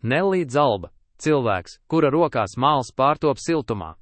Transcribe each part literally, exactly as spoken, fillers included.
Nellija Zalba – cilvēks, kura rokās māls pārtop siltumā.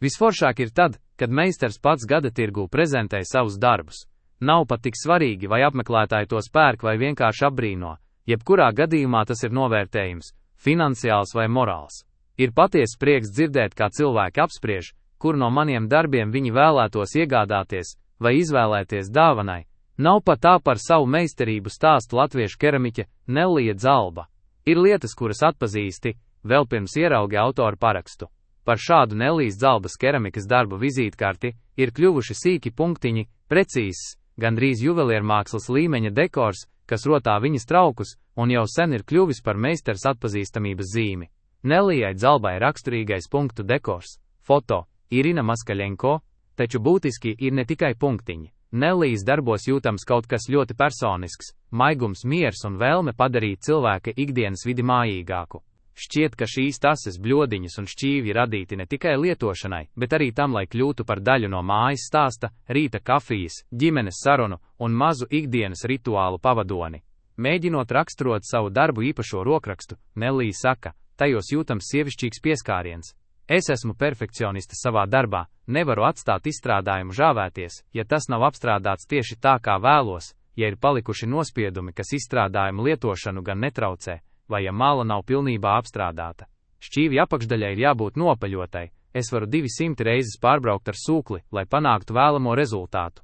Visforšāk ir tad, kad meistars pats gada tirgū prezentē savus darbus. Nav pat tik svarīgi, vai apmeklētāji tos pērk vai vienkārši apbrīno. Jebkurā gadījumā tas ir novērtējums, finansiāls vai morāls. Ir patiesa prieks dzirdēt, kā cilvēki apspriež, kur no maniem darbiem viņi vēlētos iegādāties vai izvēlēties dāvanai. Nav pat tā par savu meistarību stāstu latviešu keramiķe Nellija Zalba. Ir lietas, kuras atpazīsti, vēl pirms ieraugi autoru parakstu. Par šādu Nellijas Zalbas keramikas darbu vizītkarti ir kļuvuši sīki punktiņi, precīzs, gandrīz juveliermākslas līmeņa dekors, kas rotā viņas traukus, un jau sen ir kļuvis par meistars atpazīstamības zīmi. Nellijai Zalbai raksturīgais punktu dekors, foto, Irina Maskaļenko, taču būtiski ir ne tikai punktiņi. Nellijas darbos jūtams kaut kas ļoti personisks, maigums, miers un vēlme padarīt cilvēka ikdienas vidi mājīgāku. Šķiet, ka šīs tases, bļodiņas un šķīvi radīti ne tikai lietošanai, bet arī tam, lai kļūtu par daļu no mājas stāsta, rīta kafijas, ģimenes sarunu un mazu ikdienas rituālu pavadoni. Mēģinot raksturot savu darbu īpašo rokrakstu, Nellija saka, tajos jūtams sievišķīgs pieskāriens. Es esmu perfekcioniste savā darbā, nevaru atstāt izstrādājumu žāvēties, ja tas nav apstrādāts tieši tā, kā vēlos, ja ir palikuši nospiedumi, kas izstrādājumu lietošanu gan netraucē, vai ja mala nav pilnībā apstrādāta. Šķīvja apakšdaļai ir jābūt nopaļotai, es varu divsimt reizes pārbraukt ar sūkli, lai panāktu vēlamo rezultātu.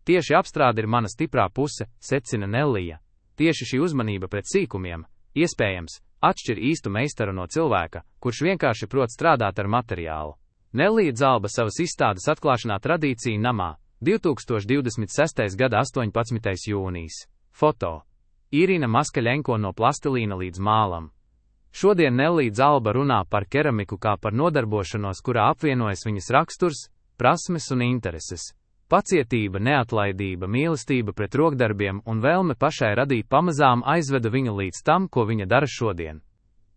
Tieši apstrāde ir mana stiprā puse, secina Nellija. Tieši šī uzmanība pret sīkumiem, iespējams, atšķir īstu meistaru no cilvēka, kurš vienkārši prot strādāt ar materiālu. Nellija Zalba savas izstādes atklāšanā tradīcija namā, divtūkstoš divdesmit sestais gada astoņpadsmitais jūnijas. Foto. Irina Maskaļenko no plastilīna līdz mālam. Šodien Nellija Zalba runā par keramiku kā par nodarbošanos, kurā apvienojas viņas raksturs, prasmes un intereses. Pacietība, neatlaidība, mīlestība pret rokdarbiem un vēlme pašai radīt pamazām aizveda viņu līdz tam, ko viņa dara šodien.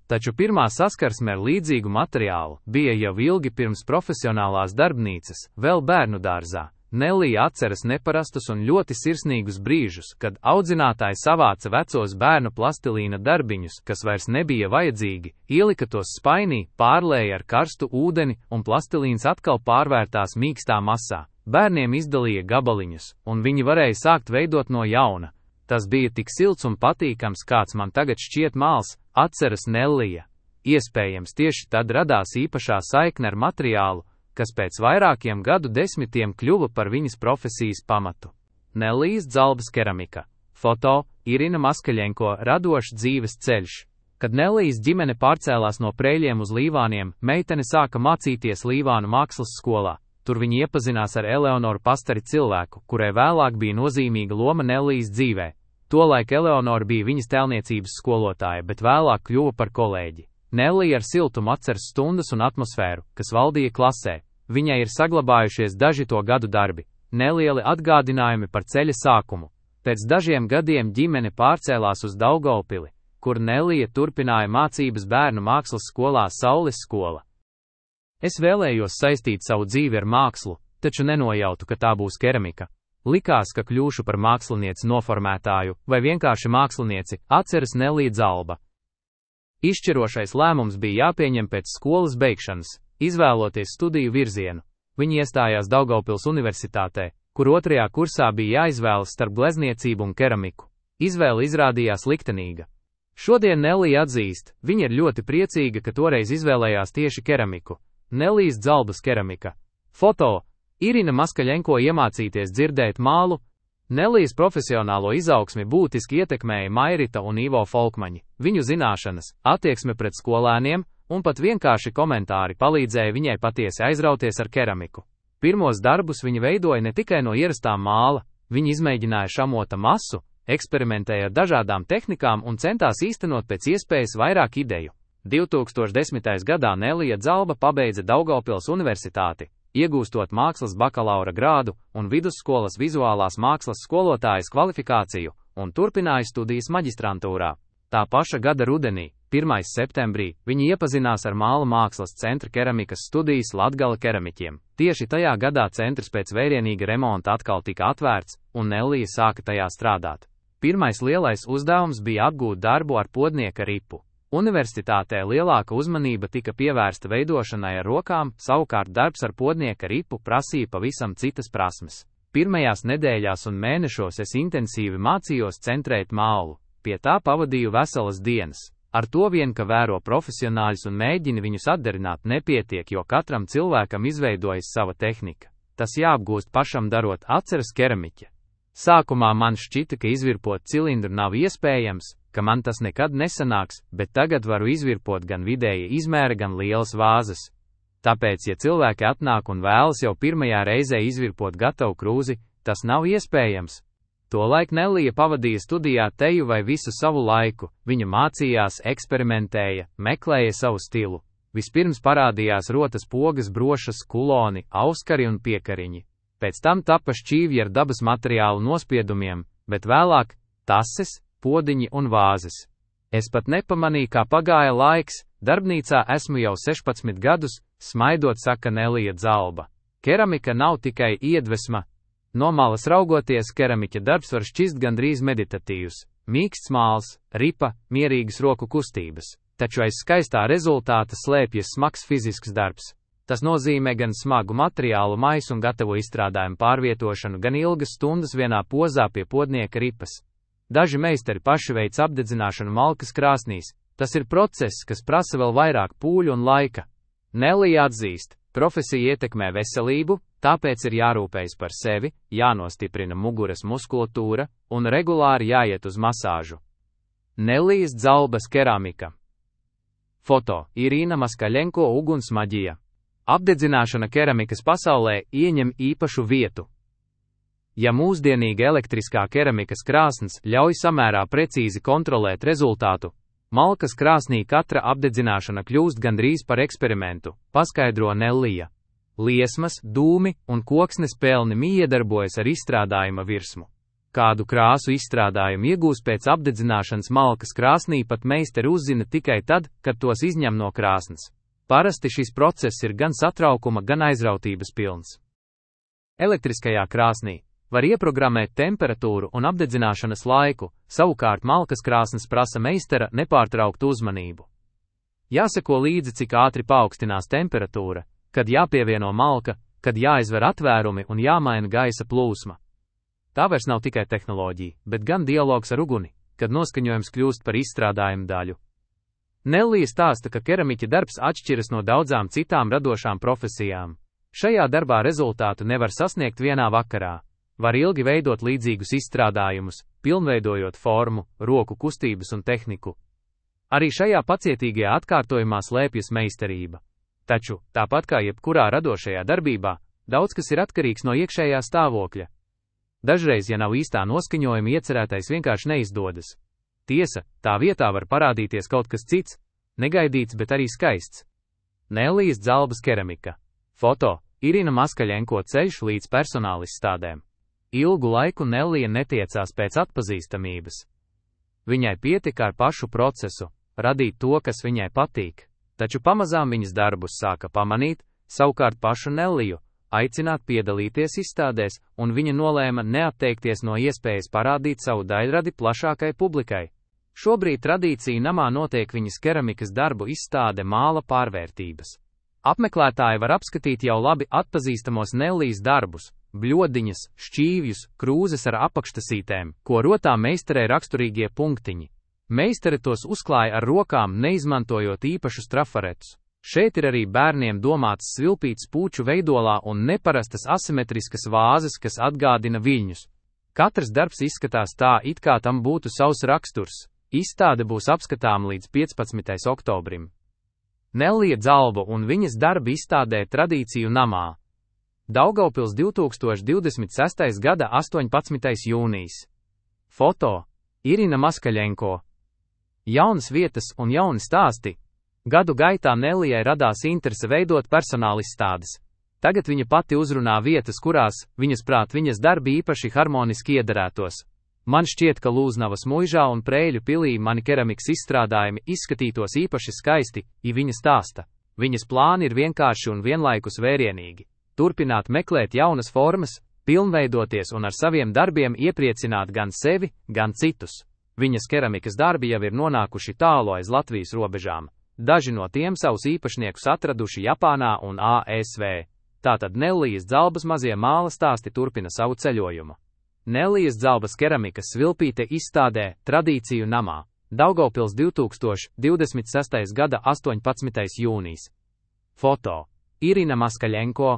Taču pirmā saskarsme ar līdzīgu materiālu bija jau ilgi pirms profesionālās darbnīcas, vēl bērnu dārzā. Nellija atceras neparastus un ļoti sirsnīgus brīžus, kad audzinātāji savāca vecos bērnu plastilīna darbiņus, kas vairs nebija vajadzīgi, ielika tos spainī, pārlēja ar karstu ūdeni un plastilīns atkal pārvērtās mīkstā masā. Bērniem izdalīja gabaliņus, un viņi varēja sākt veidot no jauna. Tas bija tik silts un patīkams, kāds man tagad šķiet māls, atceras Nellija. Iespējams, tieši tad radās īpašā saikne ar materiālu, kas pēc vairākiem gadu desmitiem kļuva par viņas profesijas pamatu. Nellijas Zalbas keramika. Foto, Irina Maskaļenko, radošs dzīves ceļš. Kad Nellijas ģimene pārcēlās no Preļiem uz Līvāniem, meitene sāka mācīties Līvānu mākslas skolā. Tur viņi iepazinās ar Eleonoru Pastari, cilvēku, kurai vēlāk bija nozīmīga loma Nellijas dzīvē. Tolaik Eleonora bija viņas tēlniecības skolotāja, bet vēlāk kļuva par kolēģi. Nellija ar siltumu atceras stundas un atmosfēru, kas valdīja klasē. Viņai ir saglabājušies daži to gadu darbi, nelieli atgādinājumi par ceļa sākumu. Pēc dažiem gadiem ģimene pārcēlās uz Daugavpili, kur Nellija turpināja mācības bērnu mākslas skolā Saules skola. Es vēlējos saistīt savu dzīvi ar mākslu, taču nenojautu, ka tā būs keramika. Likās, ka kļūšu par mākslinieci noformētāju vai vienkārši mākslinieci, atceras Nellija Zalba. Izšķirošais lēmums bija jāpieņem pēc skolas beigšanas, izvēloties studiju virzienu. Viņa iestājās Daugavpils universitātē, kur otrajā kursā bija jāizvēlas starp glezniecību un keramiku. Izvēle izrādījās liktenīga. Šodien Nellija atzīst, viņa ir ļoti priecīga, ka toreiz izvēlējās tieši keramiku. Nellijas Zalbas keramika. Foto. Irina Maskaļenko iemācīties dzirdēt mālu. Nellijas profesionālo izaugsmi būtiski ietekmēja Mairita un Ivo Folkmaņi. Viņu zināšanas, attieksme pret skolēniem un pat vienkārši komentāri palīdzēja viņai patiesi aizrauties ar keramiku. Pirmos darbus viņa veidoja ne tikai no ierastām māla, viņa izmēģināja šamota masu, eksperimentēja ar dažādām tehnikām un centās īstenot pēc iespējas vairāk ideju. divtūkstoš desmitajā gadā Nellija Zalba pabeidza Daugavpils universitāti, iegūstot mākslas bakalaura grādu un vidusskolas vizuālās mākslas skolotājas kvalifikāciju, un turpināja studijas maģistrantūrā. Tā paša gada rudenī, pirmajā septembrī, viņi iepazinās ar Māla mākslas centra keramikas studijas Latgale keramiķiem. Tieši tajā gadā centrs pēc vērienīga remonta atkal tika atvērts, un Nellija sāka tajā strādāt. Pirmais lielais uzdevums bija apgūt darbu ar podnieka ripu. Universitātē lielāka uzmanība tika pievērsta veidošanai ar rokām, savukārt darbs ar podnieka ripu prasīja pavisam citas prasmes. Pirmajās nedēļās un mēnešos es intensīvi mācījos centrēt maulu, pie tā pavadīju veselas dienas. Ar to vien, ka vēro profesionāļus un mēģini viņus atdarināt, nepietiek, jo katram cilvēkam izveidojas sava tehnika. Tas jāapgūst pašam darot, atceras keramiķe. Sākumā man šķita, ka izvirpot cilindru nav iespējams, ka man tas nekad nesanāks, bet tagad varu izvirpot gan vidēja izmēra, gan lielas vāzes. Tāpēc, ja cilvēki atnāk un vēlas jau pirmajā reizē izvirpot gatavu krūzi, tas nav iespējams. Tolaik Nellija pavadīja studijā teju vai visu savu laiku, viņa mācījās, eksperimentēja, meklēja savu stilu. Vispirms parādījās rotas pogas, brošas, kuloni, auskari un piekariņi. Pēc tam tapa šķīvji ar dabas materiālu nospiedumiem, bet vēlāk tases, podiņi un vāzes. Es pat nepamanīju, kā pagāja laiks, darbnīcā esmu jau sešpadsmit gadus, smaidot, saka Nellija Zalba. Keramika nav tikai iedvesma. No malas raugoties, keramiķa darbs var šķist gandrīz meditatīvs, mīksts māls, ripa, mierīgas roku kustības, taču aiz skaistā rezultāta slēpjas smags fizisks darbs. Tas nozīmē gan smagu materiālu maisu un gatavo izstrādājumu pārvietošanu, gan ilgas stundas vienā pozā pie podnieka ripas. Daži meistari paši veic apdedzināšanu malkas krāsnīs. Tas ir process, kas prasa vēl vairāk pūļu un laika. Nellija atzīst, profesija ietekmē veselību, tāpēc ir jārūpējas par sevi, jānostiprina muguras muskulatūra un regulāri jāiet uz masāžu. Nellijas Zalbas keramika. Foto: Irīna Maskaļenko, ugunsmaģija. Apdedzināšana keramikas pasaulē ieņem īpašu vietu. Ja mūsdienīga elektriskā keramikas krāsns ļauj samērā precīzi kontrolēt rezultātu, malkas krāsnī katra apdedzināšana kļūst gandrīz par eksperimentu, paskaidro Nellija. Liesmas, dūmi un koksnes pelni miedarbojas ar izstrādājuma virsmu. Kādu krāsu izstrādājumu iegūs pēc apdedzināšanas malkas krāsnī, pat meistari uzzina tikai tad, kad tos izņem no krāsnes. Parasti šis process ir gan satraukuma, gan aizrautības pilns. Elektriskajā krāsnī var ieprogrammēt temperatūru un apdedzināšanas laiku, savukārt malkas krāsnes prasa meistara nepārtrauktu uzmanību. Jāseko līdzi, cik ātri paaugstinās temperatūra, kad jāpievieno malka, kad jāizver atvērumi un jāmaina gaisa plūsma. Tā vairs nav tikai tehnoloģija, bet gan dialogs ar uguni, kad noskaņojums kļūst par izstrādājumu daļu. Nellija stāsta, ka keramiķa darbs atšķiras no daudzām citām radošām profesijām. Šajā darbā rezultātu nevar sasniegt vienā vakarā. Var ilgi veidot līdzīgus izstrādājumus, pilnveidojot formu, roku kustības un tehniku. Arī šajā pacietīgajā atkārtojumā slēpjas meistarība. Taču, tāpat kā jebkurā radošajā darbībā, daudz kas ir atkarīgs no iekšējā stāvokļa. Dažreiz, ja nav īstā noskaņojuma, iecerētais vienkārši neizdodas. Tiesa, tā vietā var parādīties kaut kas cits, negaidīts, bet arī skaists. Nellijas Zalbas keramika. Foto: Irīna Maskaļenko, ceļš līdz personālizstādēm. Ilgu laiku Nellija netiecās pēc atpazīstamības. Viņai pietika ar pašu procesu, radīt to, kas viņai patīk, taču pamazām viņas darbus sāka pamanīt, savukārt pašu Nelliju aicināt piedalīties izstādēs, un viņa nolēma neatteikties no iespējas parādīt savu daļradi plašākai publikai. Šobrīd tradīcija namā notiek viņas keramikas darbu izstāde Māla pārvērtības. Apmeklētāji var apskatīt jau labi atpazīstamos Nellijas darbus, bļodiņas, šķīvjus, krūzes ar apakštasītēm, ko rotā meistarē raksturīgie punktiņi. Meistare tos uzklāja ar rokām, neizmantojot īpašus trafaretus. Šeit ir arī bērniem domāts svilpīts puču veidolā un neparastas asimetriskas vāzes, kas atgādina viļņus. Katrs darbs izskatās tā, it kā tam būtu savs raksturs. Izstāde būs apskatāma līdz piecpadsmitajam oktobrim. Nellija Zalba un viņas darbi izstādē Tradīciju namā. Daugavpils divtūkstoš divdesmit sestais gada astoņpadsmitais jūnijas. Foto: Irīna Maskaļenko. Jaunas vietas un jauni stāsti. Gadu gaitā Nellijai radās interese veidot personālizstādes. Tagad viņa pati uzrunā vietas, kurās, viņas prāt, viņas darbi īpaši harmoniski iederētos. Man šķiet, ka Lūznavas muižā un Prēļu pilī mani keramikas izstrādājumi izskatītos īpaši skaisti, ja viņa stāsta. Viņas plāni ir vienkārši un vienlaikus vērienīgi. Turpināt meklēt jaunas formas, pilnveidoties un ar saviem darbiem iepriecināt gan sevi, gan citus. Viņas keramikas darbi jau ir nonākuši tālu aiz Latvijas robežām. Daži no tiem savus īpašniekus atraduši Japānā un A S V. Tātad Nellijas Dzalbas mazie māla stāsti turpina savu ceļojumu. Nellijas Dzalbas keramikas svilpīte izstādē Tradīciju namā, Daugavpils divtūkstoš divdesmit sestais gada astoņpadsmitais jūnijas. Foto: Irina Maskaļenko,